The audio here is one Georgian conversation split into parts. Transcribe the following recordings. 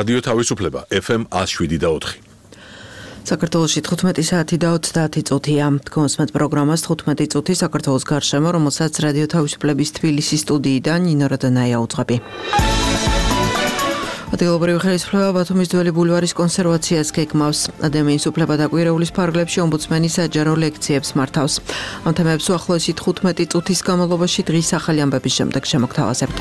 რადიო თავისუფლება FM 107.4. საქართველოში 15 საათი და 30 წუთია. გონსმეთ პროგრამას 15 წუთი საქართველოს გარშემო, რომელსაც რადიო თავისუფლების თბილისის სტუდიიდან ნინო როდანაია უძღვები. ადგილობრივი ხელისუფლება ბათუმის ძველი ბულვარის კონსერვაციას გეგმავს. ადამიანის უფლება და კვირეულის ფარგლებში ომბუდსმენი საჯარო ლექციებს მართავს. ამ თემებს უახლოესი 15 წუთის განმავლობაში დღის ახალი ამბების შემდეგ შემოგთავაზებთ.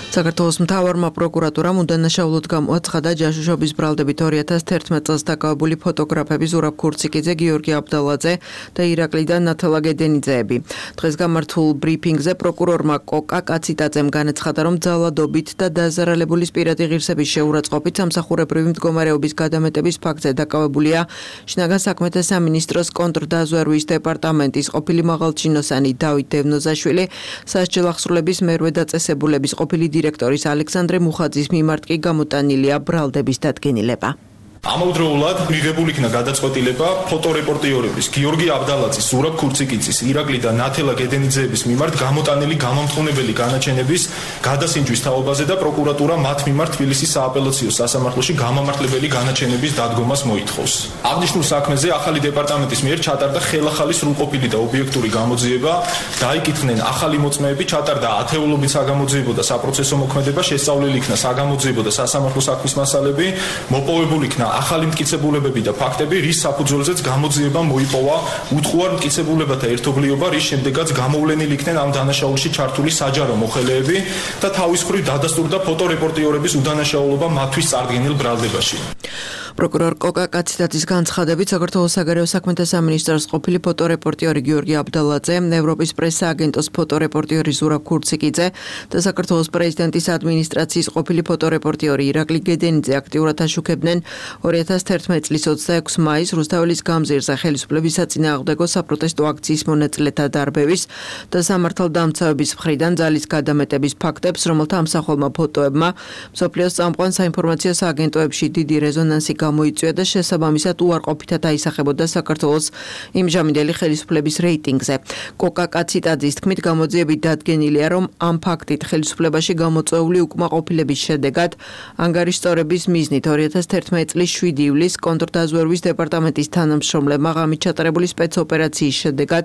საქართველოს მთავარმა პროკურატურამ უდანაშაულოდ გამოაცხადა ჯაშუშობის ბრალდებით 2011 წელს დაკავებული ფოტოგრაფები ზურაბ ქურციკიძე, გიორგი აბდალაძე და ირაკლი და ნათელა გედენიძეები. დღეს გამართულ ბრიფინგზე პროკურორმა კოკა კაციტაძემ განაცხადა, რომ ძალადობით და დაზარალებულის პირადი ღირსების შეურაცხყოფით სამსახურებრივი მდგომარეობის გადამეტების ფაქტზე დაკავებულია შინაგან საქმეთა სამინისტროს კონტრდაზვერვის დეპარტამენტის ყოფილი მაღალჩინოსანი დავით დევნოზაშვილი, სასჯელ ახსრულების მერვე დაწესებულების ყოფილი დირექტორის ალექსანდრე მუხაძის მიმართ კი გამოტანილია ბრალდების დადგენილება. ამავდროულად მიღებული იქნა გადაწყვეტილება ფოტორეპორტიორების გიორგი აბდალაძის, ზურაბ ქურციკიძის, ირაკლი და ნათელა გედენიძეების მიმართ გამოტანილი გამამტყუნებელი განაჩენების გადასინჯვის თაობაზე და პროკურატურა მათ მიმართ თბილისის სააპელაციო სასამართლოში გამამართლებელი განაჩენების დადგომას მოითხოვს. აღნიშნულ საქმეზე ახალი დეპარტამენტის მიერ ჩატარდა ხელახალი სრულყოფილი და ობიექტური გამოძიება, დაიკითხნენ ახალი მოწმეები, ჩატარდა ათეულობით საგამოძიებო და საპროცესო მოქმედება, შესწავლილი იქნა საგამოძიებო და სასამართლო საქმის მასალები, მოპოვებული იქნა ახალი მტკიცებულებები და ფაქტები, რის საფუძველზეც გამოძიება მოიპოვა უთხოვარ მტკიცებულებათა ერთობლიობა, რის შემდეგაც გამოვლენილი იქნენ ამ დანაშაულში ჩართული საჯარო მოხელეები და თავის მხრივ დადასტურდა ფოტორეპორტიორების უდანაშაულობა მათთვის წარდგენილ ბრალდებაში. პროკურორ კოკა კაციტაძის განცხადებით, საქართველოს საგარეო საქმეთა სამინისტროს ყოფილი ფოტორეპორტიორი გიორგი აბდალაძე, ევროპის პრესა-აგენტოს ფოტორეპორტიორი ზურაბ ქურციკიძე და საქართველოს პრეზიდენტის ადმინისტრაციის ყოფილი ფოტორეპორტიორი ირაკლი გედენიძე აქტიურად აშუქებდნენ 2011 წლის 26 მაისს რუსთაველის გამზირზე ხელისუფლების საწინააღმდეგო საპროტესტო აქციის მონაწილეთა დარბევის და სამართალდამცავების მხრიდან ძალის გადამეტების ფაქტებს, რომელთა ამსახველმა ფოტოებმა მსოფლიოს წამყვან საინფორმაციო სააგენტოებში დიდი რეზონანსი გამოიწვია და შესაბამისად უარყოფითად აისახებოდა საქართველოს იმჟამინდელი ხელისუფლების რეიტინგზე. კოკა კაციტაძის თქმით, გამოძიებით დადგენილია, რომ ამ ფაქტით ხელისუფლებაში გამოწვეული უკმაყოფილების შედეგად ანგარიშსწორების მიზნით 2011 წლის 7 ივლისს კონტრდაზვერვის დეპარტამენტის თანამშრომლებმა ღამით ჩატარებული სპეცოპერაციის შედეგად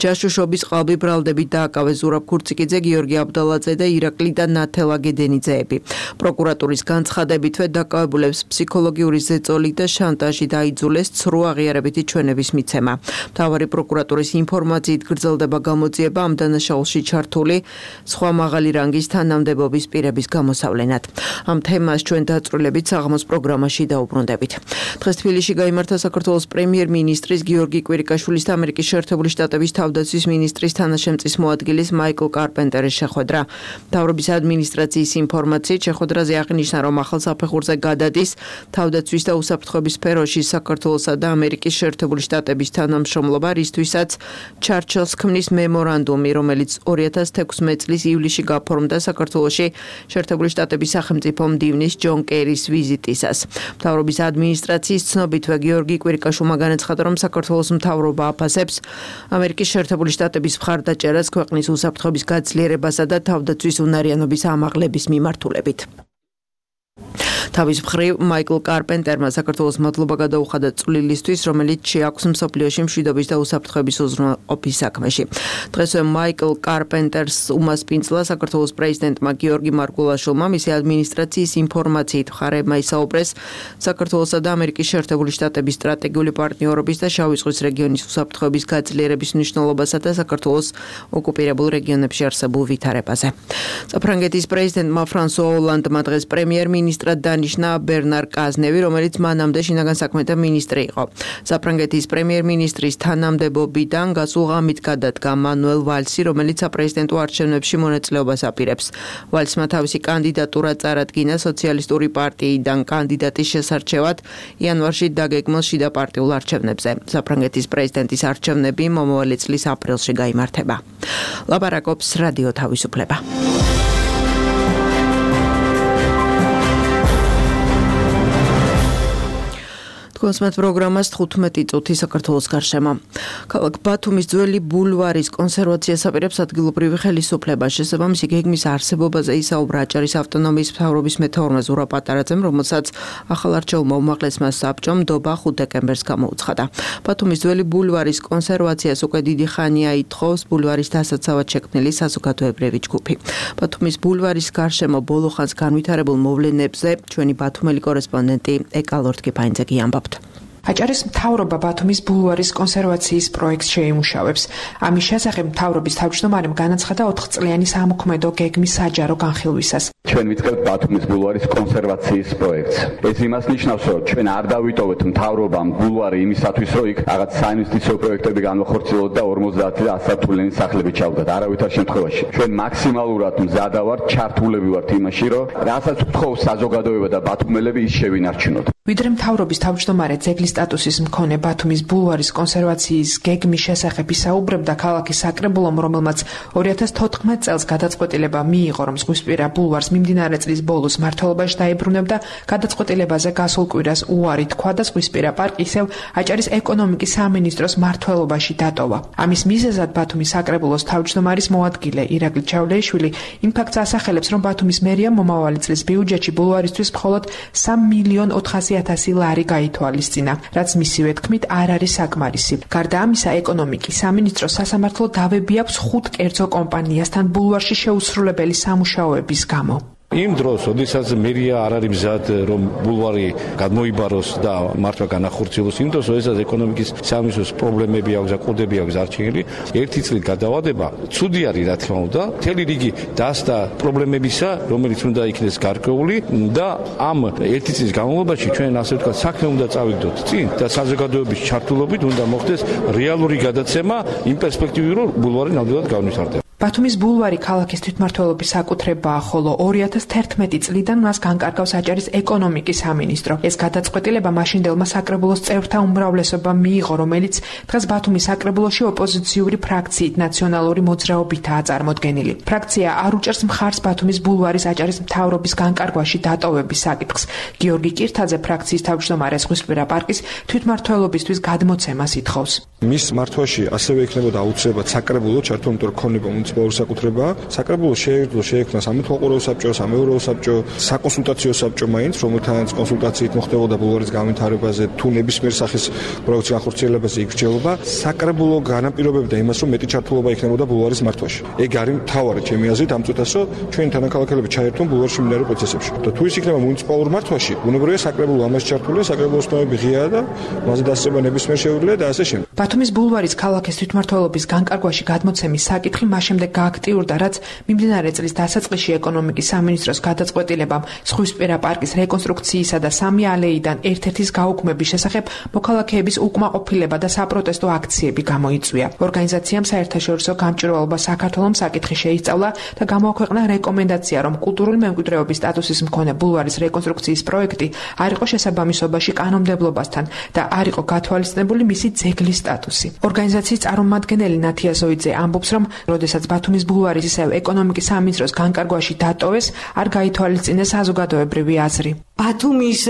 ჯაშუშობის ყალბი ბრალდებით დააკავეს ზურაბ ქურციკიძე, გიორგი აბდალაძე და ირაკლი და ნათელა გედენიძეები. პროკურატურის განცხადებითვე დაკავებულებს ფსიქოლოგიური ზეწოლი და შანტაჟი დაიძულეს ცრუ აღიარებითი ჩვენების მიცემა. მთავარი პროკურატურის ინფორმაციით გრძელდება გამოძიება ამ დანაშაულში ჩართული სხვა მაღალი რანგის თანამდებობის პირების გამოსავლენად. ამ თემას ჩვენ დაწვრილებით საღამოს პროგრამაში დაუბრუნდებით. დღეს თბილისში გაიმართა საქართველოს პრემიერ-მინისტრის გიორგი კვირიკაშვილის და ამერიკის შეერთებული შტატების თავდაცვის მინისტრის თანაშემწის მოადგილის მაიკლ კარპენტერის შეხვედრა. მთავრობის ადმინისტრაციის ინფორმაციით შეხვედრაზე აღნიშნა, რომ ახალ საფეხურზე გადადის თავდაცვის და უსაფრთხოების სფეროში საქართველოსა და ამერიკის შეერთებული შტატების თანამშრომლობა, რისთვისაც ჩარჩელს ქმნის მემორანდუმი, რომელიც 2016 წლის ივლისში გაფორმდა საქართველოში შეერთებული შტატების სახელმწიფო მდივნის ჯონ კერის ვიზიტისას. მთავრობის ადმინისტრაციის ცნობითვე გიორგი კვირიკაშვილმა განაცხადა, რომ საქართველოს მთავრობა აფასებს ამერიკის შეერთებული შტატების მხარდაჭერას ქვეყნის უსაფრთხოების გაძლიერებასა და თავდაცვის უნარიანობის ამაღლების მიმართულებით. თავის მხრივ მაიკლ კარპენტერმა საქართველოს მადლობა გადაუხადა წვლილისთვის, რომელიც შეაქვს მსოფლიოში მშვიდობის და უსაფრთხოების უზრუნველყოფის საქმეში. დღესვე მაიკლ კარპენტერს უმასპინძლა საქართველოს პრეზიდენტმა გიორგი მარგულაშვილმა მისი ადმინისტრაციის ინფორმაციით მხარეებმა ისაუბრეს საქართველოსა და ამერიკის შეერთებული შტატების სტრატეგიული პარტნიორობის და შავი ზღვის რეგიონის უსაფრთხოების გაძლიერების მნიშვნელობასა და საქართველოს ოკუპირებულ რეგიონებში არსებულ ვითარებაზე. საფრანგეთის პრეზიდენტმა ფრანსუა ოლანდმა დღეს პრემიერ-მინისტრად დანიშნა ბერნარ კაზნევი, რომელიც მანამდე შინაგან საქმეთა მინისტრი იყო. საფრანგეთის პრემიერ-მინისტრის თანამდებობიდან გასულ ღამით გადადგა მანუელ ვალსი, რომელიც საპრეზიდენტო არჩევნებში მონაწილეობას აპირებს. ვალსმა თავისი კანდიდატურა წარადგინა სოციალისტური პარტიიდან კანდიდატის შესარჩევად იანვარში დაგეგმილ შიდა პარტიულ არჩევნებზე. საფრანგეთის პრეზიდენტის არჩევნები მომავალი წლის აპრილში გაიმართება. ლაპარაკობს რადიო თავისუფლება. თქვენს მათ პროგრამას 15 წუთი საქართველოს გარშემო. ქალაქ ბათუმის ძველი ბულვარის კონსერვაციას აპირებს ადგილობრივი ხელისუფლება. შესაბამისი გეგმის არსებობაზე ისაუბრა აჭარის ავტონომიის მთავრობის მეთაურმა ზურაბ პატარაძემ, რომელსაც ახალარჩეულმა უმაღლესმა საბჭომ ნდობა 5 დეკემბერს გამოუცხადა. ბათუმის ძველი ბულვარის კონსერვაციას უკვე დიდი ხანია ითხოვს ბულვარის დასაცავად შექმნილი საზოგადოებრივი ჯგუფი. ბათუმის ბულვარის გარშემო ბოლო ხანს განვითარებულ მოვლენებზე ჩვენი ბათუმელი კორესპონდენტი ეკალორთკი ფაინძეგი ამბობთ. აჭარის მთავრობა ბათუმის ბულვარის კონსერვაციის პროექტს შეიმუშავებს. ამის შესახებ მთავრობის თავმჯდომარემ განაცხადა 4 წლიანი სამოქმედო გეგმის საჯარო განხილვისას. ჩვენ ვიწყებთ ბათუმის ბულვარის კონსერვაციის პროექტს. ეს იმას ნიშნავს, რომ ჩვენ არ დავიტოვეთ მთავრობამ ბულვარი იმისათვის, რომ იქ რაღაც საინვესტიციო პროექტები განვახორციელოთ და 50 და 100 სართულიანი სახლები ჩავდათ. არავითარ შემთხვევაში. ჩვენ მაქსიმალურად მზადა ვართ, ჩართულები ვართ იმაში, რომ რასაც გთხოვს საზოგადოება და ბათუმელები ის შევინარჩუნოთ. ვიდრე მთავრობის თავმჯდომარე ძეგლის სტატუსის მქონე ბათუმის ბულვარის კონსერვაციის გეგმის შესახებ ისაუბრებდა ქალაქის საკრებულომ, რომელმაც 2014 წელს გადაწყვეტილება მიიღო, რომ ზღვისპირა ბულვარს მიმდინარე წლის ბოლოს მმართველობაში დაებრუნებდა, გადაწყვეტილებაზე გასულ კვირას უარი თქვა და ზღვისპირა პარკი ისევ აჭარის ეკონომიკის სამინისტროს მმართველობაში დატოვა. ამის მიზეზად ბათუმის საკრებულოს თავმჯდომარის მოადგილე ირაკლი ჩავლეიშვილი იმ ფაქტს ასახელებს, რომ ბათუმის მერიამ მომავალი წლის ბიუჯეტში ბულვარისთვის მხოლოდ 3.400.000 ლარი გაითვალისწინა, რაც მისივე თქმით არ არის საკმარისი. გარდა ამისა, ეკონომიკის სამინისტროს სასამართლო დავები აქვს 5 კერძო კომპანიასთან ბულვარში შეუსრულებელი სამუშაოების გამო. იმ დროს, როდესაც მერია არ არის მზად, რომ ბულვარი გადმოიბაროს და მართლა განახორციელოს, იმ დროს, როდესაც ეკონომიკის სამინისტროს პრობლემები აქვს და კოდები აქვს არჩეული, ერთი წლით გადავადება, ცუდი არის, რა თქმა უნდა, მთელი რიგი დასდა პრობლემებისა, რომელიც უნდა იქნეს გარკვეული და ამ ერთი წლის განმავლობაში ჩვენ ასე ვთქვათ, საქმე უნდა წავიდოთ წინ და საზოგადოების ჩართულობით უნდა მოხდეს რეალური გადაცემა იმ პერსპექტივით, რომ ბულვარი ნამდვილად განვითარდება. ბათუმის ბულვარი ქალაქის თვითმმართველობის საკუთრებაა, ხოლო 2011 წლიდან მას განკარგავს აჭარის ეკონომიკის სამინისტრო. ეს გადაწყვეტილება მაშინდელმა საკრებულოს წევრთა უმრავლესობამ მიიღო, რომელიც დღეს ბათუმის საკრებულოში ოპოზიციური ფრაქციით ნაციონალური მოძრაობითაა წარმოდგენილი. ფრაქცია არ უჭერს მხარს ბათუმის ბულვარის აჭარის მთავრობის განკარგვაში დატოვების საკითხს. გიორგი კირთაძე ფრაქციის თავმჯდომარე ზღვისპირა პარკის თვითმმართველობისთვის გადმოცემას ითხოვს. მის მართვაში ასევე იქნებოდა აუცილებლად საკრებულო ჩართო, იმიტომ რომ ქონება მუნიციპალური საკუთრება. საკრებულო შეექმნა სამეთვალყურეო საბჭო, სამეურვეო საბჭო, საკონსულტაციო საბჭო მაინც, რომელთანაც კონსულტაციით მოხდებოდა ბულვარის განვითარებაზე, თუ ნებისმიერ სახის პროექტის განხორციელებაზე იქრჩეულობა. საკრებულო განაპირობებდა იმას, რომ მეტი ჩართულობა იქნებოდა ბულვარის მართვაში. ეგ არის მთავარი ჩემი აზრით ამ წუთას, რომ ჩვენი თანაქალაქელები ჩაერთონ ბულვარში მიმდინარე პროცესებში. და თუ ის იქნება მუნიციპალურ მართვაში, ბუნებრივია საკრებულო ამას ჩართულია, საკრებულოს ცნობები ღიაა და მასზე დასწრება ნებისმიერ შეუძლია და ასე შემდეგ. ბათუმის ბულვარის ქალაქის თვითმმართველობის განკარგვაში გადმოცემის საკითხი შემდეგ გააქტიურდა, რაც მიმდინარე წლის დასაწყისში ეკონომიკის სამინისტროს გადაწყვეტილებამ ზღვისპირა პარკის რეკონსტრუქციისა და 3 ალეიდან ერთ-ერთის გაუქმების შესახებ მოქალაქეების უკმაყოფილება და საპროტესტო აქციები გამოიწვია. ორგანიზაციამ საერთაშორისო გამჭვირვალობა საქართველოს საკითხი შეისწავლა და გამოაქვეყნა რეკომენდაცია, რომ კულტურული მემკვიდრეობის სტატუსის მქონე ბულვარის რეკონსტრუქციის პროექტი არ იყო შესაბამისობაში კანონმდებლობასთან და არ იყო გათვალისწინებული მისი ძეგლის სტატუსი. ორგანიზაციის წარმომადგენელი ნათია ზოიძე ამბობს, რომ როდესაც ბათუმის ბულვარის ისევ ეკონომიკის სამინისტროს განკარგვაში დატოვეს, არ გაითვალისწინეს საზოგადოებრივი აზრი. ბათუმის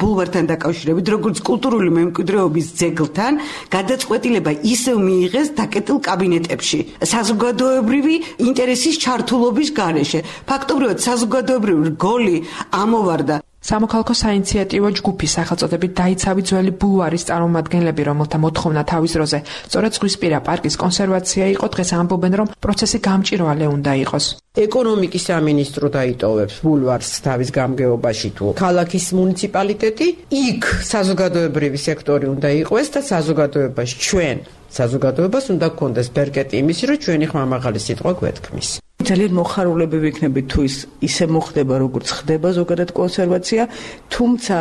ბულვართან დაკავშირებით, როგორც კულტურული მემკვიდრეობის ძეგლთან, გადაწყვეტილება ისევ მიიღეს დაკეტილ კაბინეტებში, საზოგადოებრივი ინტერესის ჩართულობის გარეშე. ფაქტობრივად საზოგადოებრივი რგოლი ამოვარდა. სამოქალაქო საინიციატივო ჯგუფის სახელწოდებით დაიცავი ძველი ბულვარის წარმომადგენლები, რომელთა მოთხოვნა თავის დროზე სწორედ ზღვისპირა პარკის კონსერვაცია იყო, დღეს ამბობენ, რომ პროცესი გამჭვირვალე უნდა იყოს. ეკონომიკის სამინისტრო დაიტოვებს ბულვარს თავის გამგეობაში თუ ქალაქის მუნიციპალიტეტი, იქ საზოგადოებრივი სექტორი უნდა იყოს და საზოგადოებაში ჩვენ საზოგადოებას უნდა გქონდეს ბერკეტი იმისი, რომ ჩვენი ხმამაღალი სიტყვა გვეთქმის. ძალიან მოხარულები ვიქნებით თუ ისე მოხდება, როგორც ხდება ზოგადად კონსერვაცია, თუმცა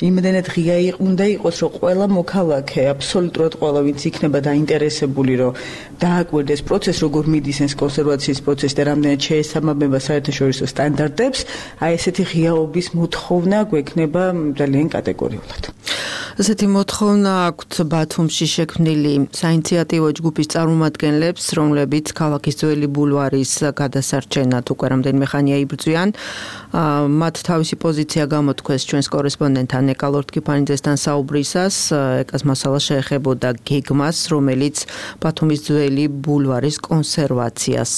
იმდენად ღია უნდა იყოს, რომ ყველა მოქალაქე, აბსოლუტურად ყველა, ვინც იქნება დაინტერესებული, რომ დააკვირდეს პროცესს, როგორ მიდის ეს კონსერვაციის პროცესი და რამდენად შეესაბამება საერთაშორისო სტანდარტებს, აი ესეთი ღიაობის მოთხოვნა გვექნება ძალიან კატეგორიულად. ასეთი მოთხოვნა აქვთ ბათუმში შექმნილი საინიციატივო ჯგუფის წარმომადგენლებს, რომლებიც ქალაქის ძველი ბულვარის გადასარჩენად უკვე რამდენიმე ხანია იბრძვიან. მათ თავისი პოზიცია გამოთქვეს ჩვენს კორესპონდენტთან ეკა ლორთქიფანიძესთან საუბრისას. ეკას მასალა შეეხებოდა გეგმას, რომელიც ბათუმის ძველი ბულვარის კონსერვაციას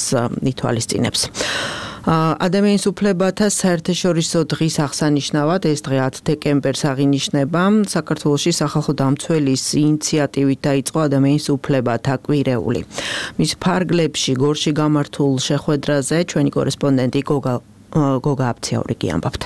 ითვალისწინებს. ადამიანის უფლებათა საერთაშორისო დღის აღსანიშნავად ეს დღე 10 დეკემბერს აღინიშნება. საქართველოში სახალხო დამცველის ინიციატივით დაიწყო ადამიანის უფლებათა კვირეული. მის ფარგლებში გორში გამართულ შეხვედრაზე ჩვენი კორესპონდენტი გოგა აფციაურიგი ამბობთ.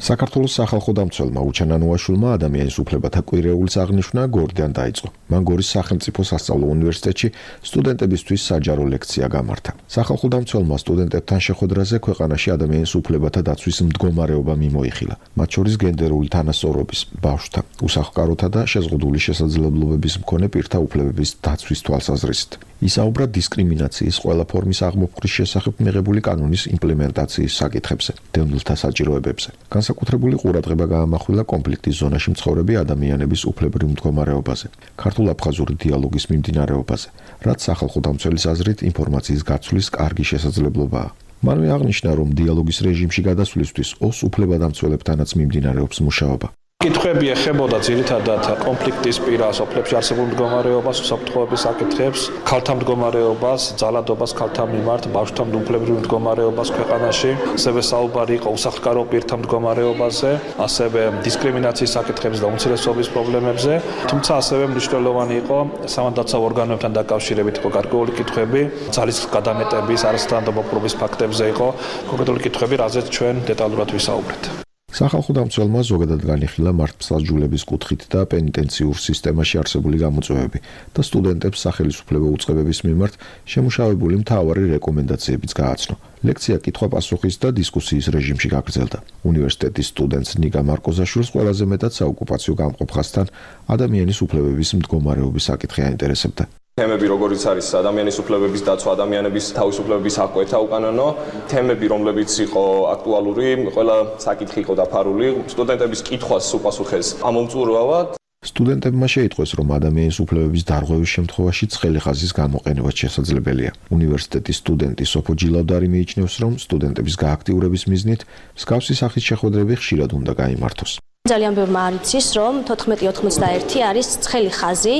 საქართველოს სახალხო დამცველმა უჩანა ნუაშულმა ადამიანის უფლებათა კვირეულის აღნიშვნა გორდან დაიწყო. მან გორის სახელმწიფო სასწავლო უნივერსიტეტში სტუდენტებისთვის საჯარო ლექცია გამართა. სახალხო დამცველმა სტუდენტებთან შეხვედრაზე ქვეყანაში ადამიანის უფლებათა დაცვის მდგომარეობა მიმოიხილა. მათ შორის გენდერული თანასწორობის, ბავშვთა, უსახლკაროთა და შეზღუდული შესაძლებლობების მქონე პირთა უფლებების დაცვის თვალსაზრისით. ისაუბრა დისკრიმინაციის ყველა ფორმის აღმოფხრის შესახებ მიღებული კანონის იმპლემენტაციის საკითხებზე, დევნილთა საჭიროებებზე. განსაკუთრებული ყურადღება გაამახვილა კონფლიქტის ზონაში მცხოვრები ადამიანების უფლებრივ მდგომარეობაზე, ქართულ-აფხაზური დიალოგის მიმდინარეობაზე, რაც სახალხო დამცველის აზრით ინფორმაციის გაცვლის კარგი შესაძლებლობაა. მანვე აღნიშნა, რომ დიალოგის რეჟიმში გადასვლისთვის ოს უფლებადამცველებთანაც მიმდინარეობს მუშაობა. კითხვები ეხებოდა ძირითადად კონფლიქტის პირას, ოფლებში არსებულ მდგომარეობას, უსაფრთხოების საკითხებს, ქალთა მდგომარეობას, ძალადობას ქალთა მიმართ, ბავშვთა უფლებრივ მდგომარეობას ქვეყანაში, ასევე საუბარი იყო უსახლკარო პირთა მდგომარეობაზე, ასევე დისკრიმინაციის საკითხებზე და უმცირესობის პრობლემებზე, თუმცა ასევე მნიშვნელოვანი იყო სამართალდაცავ ორგანოებთან დაკავშირებით იყო გარკვეული კითხვები, ძალის გადამეტების, არასათანადო ფაქტებზე იყო კონკრეტული კითხვები, რაზეც ჩვენ დეტალურად ვისაუბრეთ. სახალხო დამცველმა ზოგადად განიხილა მართლმსაჯულების კუთხით და პენიტენციურ სისტემაში არსებული გამოწვევები და სტუდენტებს სახელისუფლებო უწყებების მიმართ შემუშავებული მთავარი რეკომენდაციებიც გააცნო. ლექცია კითხვა-პასუხის და დისკუსიის რეჟიმში გაგრძელდა. უნივერსიტეტის სტუდენტს ნიგა მარკოზაშვილს ყველაზე მეტად საოკუპაციო გამყოფ ხაზთან ადამიანის უფლებების მდგომარეობის საკითხი აინტერესებდა. თემები როგორიც არის ადამიანის უფლებების დაცვა, ადამიანების თავისუფლებების აღკვეთა უკანონო, თემები რომლებიც იყო აქტუალური, ყველა საკითხი იყო დაფარული, სტუდენტების კითხვას უპასუხეს ამომწურავად. სტუდენტებმა შეიტყვეს, რომ ადამიანის უფლებების დარღვევის შემთხვევაში ცხელი ხაზის გამოყენებაც შესაძლებელია. უნივერსიტეტის სტუდენტი სოფო ჯილავდარი მიიჩნევს, რომ სტუდენტების გააქტიურების მიზნით მსგავსი სახის შეხვედრები ხშირად უნდა გაიმართოს. ძალიან ბევრმა არ იცის, რომ 1491 არის ცხელი ხაზი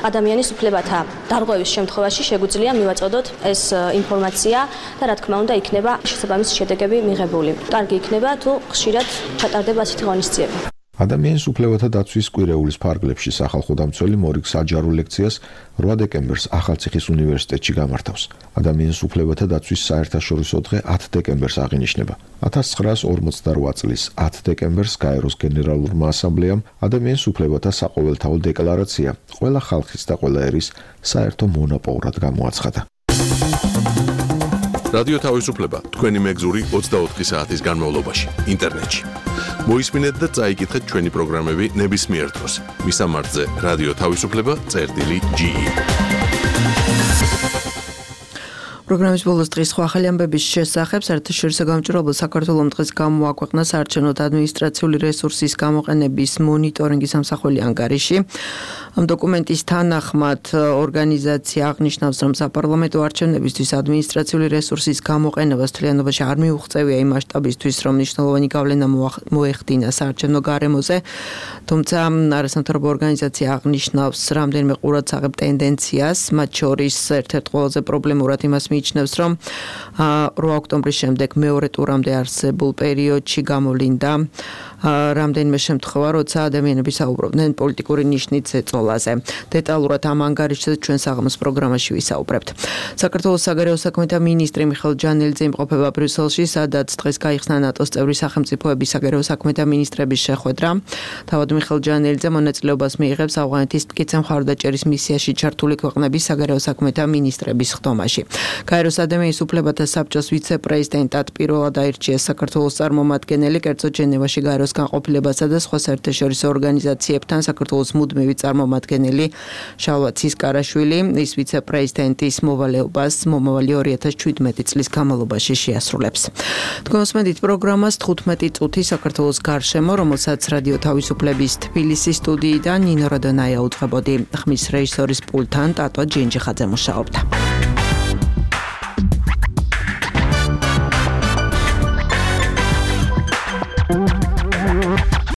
ადამიანის უფლებათა დარღვევის შემთხვევაში შეგვიძლია მივაწოდოთ ეს ინფორმაცია და რა თქმა უნდა იქნება შესაბამისი შედეგები მიღებული. კარგი იქნება თუ ხშირად ჩატარდება ასეთი ღონისძიება. ადამიანის უფლებათა დაცვის კვირეულის ფარგლებში სახალხო დამცველი მორიგ საჯარო ლექციას 8 დეკემბერს ახალციხის უნივერსიტეტში გამართავს. ადამიანის უფლებათა დაცვის საერთაშორისო დღე 10 დეკემბერს აღინიშნება. 1948 წლის 10 დეკემბერს გაეროს გენერალურმა ასამბლეამ ადამიანის უფლებათა საყოველთაო დეკლარაცია ყველა ხალხის და ყველა ერის საერთო მონაპოვრად გამოაცხადა. რადიო თავისუფლება თქვენი მეგზური 24 საათის განმავლობაში ინტერნეტში. მოისმინეთ და წაიკითხეთ ჩვენი პროგრამები ნებისმიერ დროს. მისამართზე რადიო თავისუფლება.ge. პროგრამის ბოლოს დღის სხვა ახალი ამბების შესახებ საერთაშორისო გამჭვირვალობა საქართველოს დღეს გამოაქვეყნა საარჩევნო ადმინისტრაციული რესურსის გამოყენების მონიტორინგის სამსახველი ანგარიში. ამ დოკუმენტის თანახმად ორგანიზაცია აღნიშნავს, რომ საპარლამენტო არჩევნებისთვის ადმინისტრაციული რესურსის გამოყენებას მთლიანობაში არ მიუღწევია იმ მასშტაბისთვის, რომ მნიშვნელოვანი გავლენა მოეხდინა საარჩევნო გარემოზე. თუმცა არასამთავრობო ორგანიზაცია აღნიშნავს რამდენიმე ყურადსაღებ ტენდენციას, მათ შორის ერთ-ერთ ყველაზე პრობლემურად იმას მიიჩნევს, რომ 8 ოქტომბრის შემდეგ მეორე ტურამდე არსებულ პერიოდში გამოვლინდა რამდენიმე შემთხვევა, როცა ადამიანები საუბრობდნენ პოლიტიკური ნიშნით ზეწოლაზე. დეტალურად ამ ანგარიშზე ჩვენ საღამოს პროგრამაში ვისაუბრებთ. საქართველოს საგარეო საქმეთა მინისტრი მიხეილ ჯანელიძე იმყოფება ბრიუსელში, სადაც დღეს გაიხსნა ნატოს წევრი სახელმწიფოების საგარეო საქმეთა მინისტრების შეხვედრა. თავად მიხეილ ჯანელიძე მონაწილეობას მიიღებს ავღანეთის მტკიცე მხარდაჭერის მისიაში ჩართული ქვეყნების საგარეო საქმეთა მინისტრების ხდომაში. გაეროს ადამიანის უფლებათა საბჭოს ვიცე-პრეზიდენტად პირველად აირჩიეს საქართველოს წარმომადგენელი, კერძოდ ჟენევაში გაეროს განყოფილებასა და სხვა საერთაშორისო ორგანიზაციებთან საქართველოს მუდმივი წარმომადგენელი შალვა ცისკარაშვილი ის ვიცე-პრეზიდენტის მოვალეობას მომავალი 2017 წლის განმავლობაში შეასრულებს. თქვენ უსმენთ პროგრამას 15 წუთი საქართველოს გარშემო, რომელსაც რადიო თავისუფლების თბილისის სტუდიიდან ნინო როდონაია უძღვებოდი. ხმის რეჟისორის პულტთან ტატო ჯინჯიხაძე მუშაობდა.